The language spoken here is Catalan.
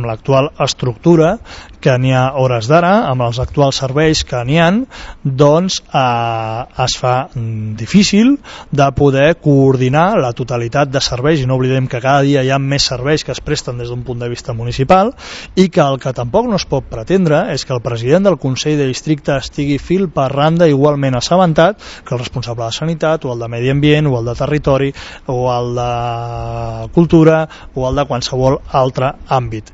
amb l'actual estructura que n'hi ha hores d'ara, amb els actuals serveis que n'hi ha, doncs es fa difícil de poder coordinar la totalitat de serveis, i no oblidem que cada dia hi ha més serveis que es presten des d'un punt de vista municipal, i que el que tampoc no es pot pretendre és que el president del Consell de Districte estigui fil per randa igualment assabentat que el responsable de Sanitat, o el de Medi Ambient, o el de Territori, o el de Cultura, o el de qualsevol altre àmbit.